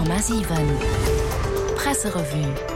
100,7 Presserevue.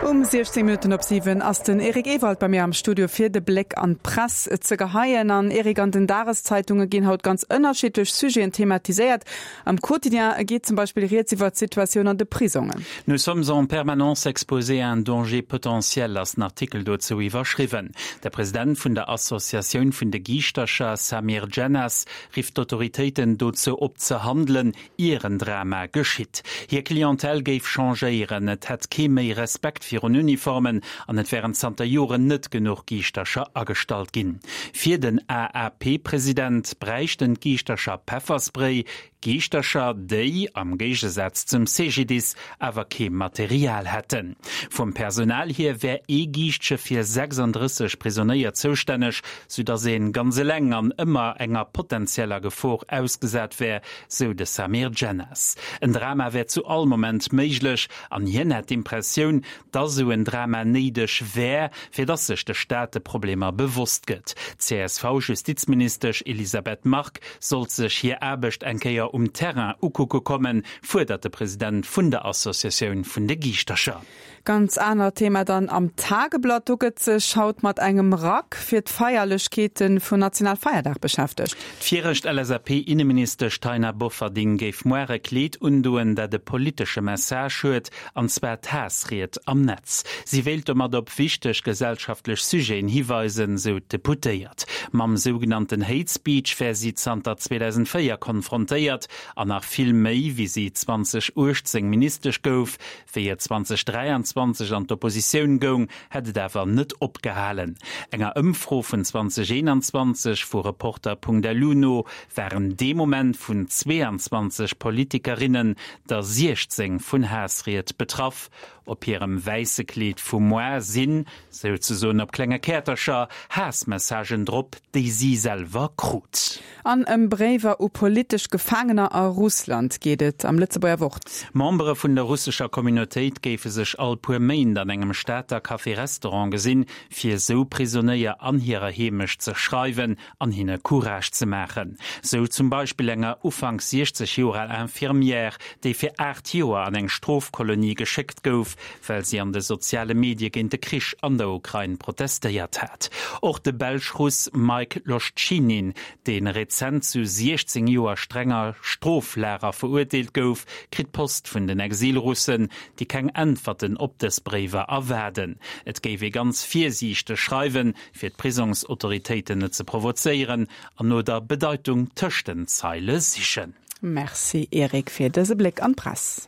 Um 16 Minutten op 7 ass den Eric Ewald bei mir am Studio fir de Bléck an d'Press ze geheien. An Eric, an den Dageszeitunge ginn haut ganz ënnerschiddlech Sujeten thematiséiert. Am Quotidien geet zum Beispill rieds iwwer d'Situatioun an de Prisongen. Nous sommes en permanence exposés à un danger potentiel ass den Artikel dozou iwwerschriwwen. De President vun der Associatioun vun de Giischtercher, Samir Djennas, rifft d'Autoritéiten dozou op ze handelen, ier en Drama geschitt. Hir Clientèle géif changéieren, et hätt kee méi Respekt virun Uniformen an et wären zanter Joren net genuch Giischtercher agestallt ginn. Fir den AAP-President bräichten d'Giischtercher Pefferspray, Giischtercher, déi, am Géigesaz zum CGDIS, awer kee Material hätten. Vum Personal hier wär ee Giischtche fir 36 Prisonéier zoustänneg, soudass ee ganz eleng an ëmmer enger potenzieller Gefor ausgesat wär, sou de Samir Djennas. En Drama wär zu all Moment méiglech an hien hätt d'Impressioun, dass esou en Drama néideg wär, fir dass sech de Staat de Problemer bewosst gëtt. D'CSV-Justizministesch Elisabeth Margue sollt sech hir Aarbecht eng Kéier um Terrain ukucke kommen, fuerdert de President vun der Associatioun vun de Giischtercher. Ganz anert Thema dann am Tageblatt. Do gëtt sech haut mat engem Rack fir d'Feierlechkeete vun Nationalfeierdag beschäftegt. D'viregt LSAP-Inneministesch Taina Bofferding géif moar e Kleed undoen, dat e politesche Message huet, an zwar d'Haassried am Netz. Si wéilt domat op wichteg gesellschaftlech Sujeten hiweisen, sou d'Deputéiert. Mam sougenannten Hate Speech wär si zanter 2004 konfrontéiert, an nach vill méi, wéi si 2018 Ministesch gouf. Wéi et 2023 an d'Oppositioun goung, hätt et awer net opgehalen. Enger Ëmfro vun 2021 vu Reporter.lu no waren dee Moment vun 22 Politikerinnen der 16 vun Haassried betraff. Op hirem wäisse Kleed vu moar sinn, souzesoen op klenge Käertercher, Haassmessagen drop, déi si selwer krut. An ëm Bréiwer u politesch Gefaangener a Russland geet et am Lëtzebuerger Wort. Membere vun der russescher Communautéit géife sech all puer Méint an engem Stater Café-Restaurant gesinn, fir sou Prisonéier an hirer Heemecht ze schreiwen an hinne Courage ze maachen. Sou zum Beispill enger ufanks 60 Joer al Infirmière, déi fir 8 Joer an eng Strofkolonie geschéckt gouf, well si an de soziale Medie géint de Krich an der Ukrain protestéiert hat. Och de Belsch-Russ Mike Loshchinin, dee rezent zu 16 Joer strenger Stroflager verurteelt gouf, kritt Post vun den Exilrussen, déi keng Äntwerten op dës Bréiwer erwaarden. Et géif ee ganz virsiichteg schreiwen, fir d'Prisongsautoritéiten net ze provozéieren an no der Bedeitung tëscht den Zeile sichen. Merci Eric fir dëse Bléck an d'Press.